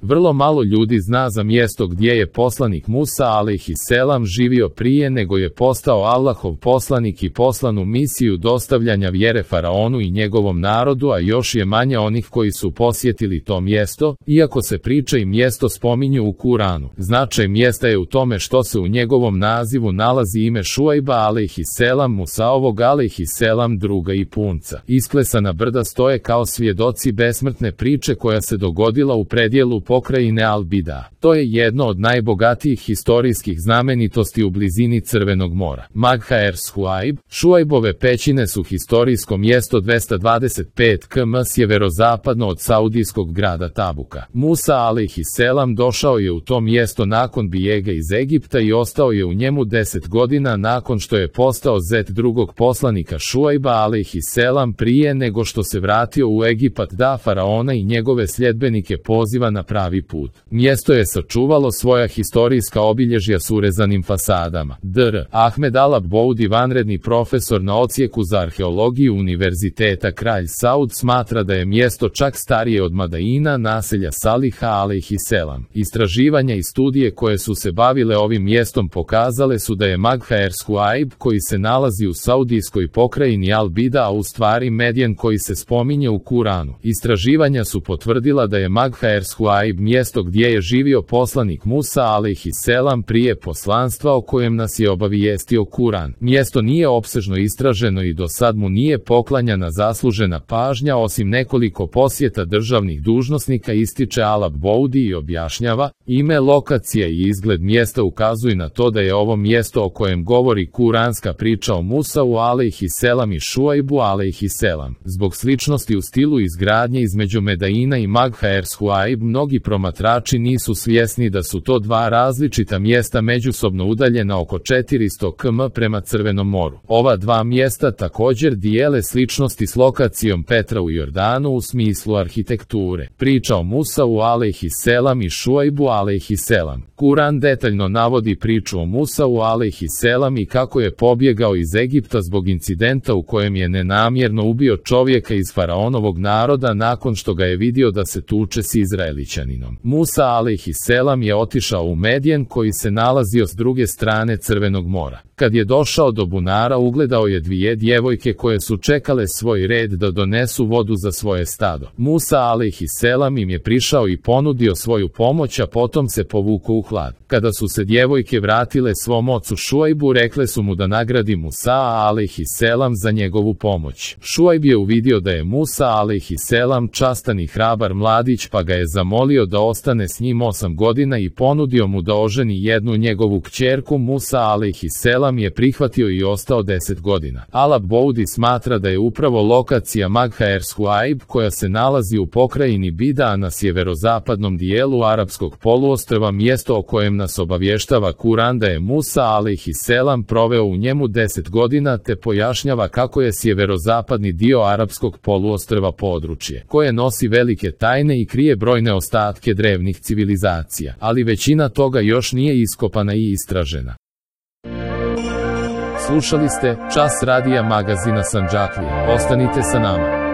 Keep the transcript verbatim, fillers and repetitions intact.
Vrlo malo ljudi zna za mjesto gdje je poslanik Musa alejhiselam živio prije nego je postao Allahov poslanik i poslan u misiju dostavljanja vjere faraonu i njegovom narodu, a još je manje onih koji su posjetili to mjesto, iako se priča i mjesto spominju u Kuranu. Značaj mjesta je u tome što se u njegovom nazivu nalazi ime Šuajba alejhiselam, Musaovog alejhiselam druga i punca. Isklesana brda stoje kao svjedoci besmrtne priče koja se dogodila u predjelu pokrajine Al-Bida. To je jedno od najbogatijih historijskih znamenitosti u blizini Crvenog mora. Magha er-Šuajb, Šuajbove pećine su historijsko mjesto dvesta dvadeset pet kilometara sjeverozapadno od saudijskog grada Tabuka. Musa alejhiselam došao je u to mjesto nakon bijega iz Egipta i ostao je u njemu deset godina nakon što je postao zet drugog poslanika Šuajba alejhiselam prije nego što se vratio u Egipat da faraona i njegove sljedbenike poziva na pravi put. Mjesto je sačuvalo svoja historijska obilježja s urezanim fasadama. dr. Ahmed Al-Aboudi, vanredni profesor na odsjeku za arheologiju Univerziteta Kralj Saud, smatra da je mjesto čak starije od Madaina, naselja Saliha alejhiselam. Istraživanja i studije koje su se bavile ovim mjestom pokazale su da je Magha er-Šuajb, koji se nalazi u saudijskoj pokrajini Al-Bida, a u stvari Medjen koji se spominje u Kuranu. Istraživanja su potvrdila da je Magha er-Šuajb mjesto gdje je živio poslanik Musa alejhiselam prije poslanstva o kojem nas je obavijestio Kuran. Mjesto nije opsežno istraženo i do sad mu nije poklanjana zaslužena pažnja osim nekoliko posjeta državnih dužnosnika, ističe Al-Aboudi i objašnjava, ime, lokacija i izgled mjesta ukazuju na to da je ovo mjesto o kojem govori kuranska priča o Musau alejhiselam i Šuajbu alejhiselam. Zbog sličnosti u stilu izgradnje između Medaina i Magha er-Šuajb, mnogi promatrači nisu svjesni da su to dva različita mjesta međusobno udaljena oko četiristo kilometara prema Crvenom moru. Ova dva mjesta također dijele sličnosti s lokacijom Petra u Jordanu u smislu arhitekture. Priča o Musau alejhiselam i Šuajbu alejhiselam. Kuran detaljno navodi priču o Musau alejhiselam i kako je pobjegao iz Egipta zbog incidenta u kojem je nenamjerno ubio čovjeka iz faraonovog naroda nakon što ga je vidio da se tuče s Izraelićaninom. Musa alejhiselam je otišao u Medjen koji se nalazio s druge strane Crvenog mora. Kad je došao do bunara, ugledao je dvije djevojke koje su čekale svoj red da donesu vodu za svoje stado. Musa alejhiselam im je prišao i ponudio svoju pomoć, a potom se povukao u hlad. Kada su se djevojke vratile svom ocu Šuajbu, rekle su mu da nagradi Musa alejhiselam za njegovu pomoć. Šuajb je uvidio da je Musa alejhiselam častan i hrabar mladić, pa ga je zamolio da ostane s njim osam godina i ponudio mu da oženi jednu njegovu kćerku. Musa alejhiselam je prihvatio i ostao deset godina. Al-Aboudi smatra da je upravo lokacija Magha er-Šuajb, koja se nalazi u pokrajini Bida na sjeverozapadnom dijelu arapskog poluostrva, mjesto o kojem nas obavještava Kuran da je Musa alejhiselam proveo u njemu deset godina, te pojašnjava kako je sjeverozapadni dio arapskog poluostrva područje koje nosi velike tajne i krije brojne ostatke drevnih civilizacija, ali većina toga još nije iskopana i istražena. Slušali ste Čas radija magazina Sandžaklija. Ostanite sa nama.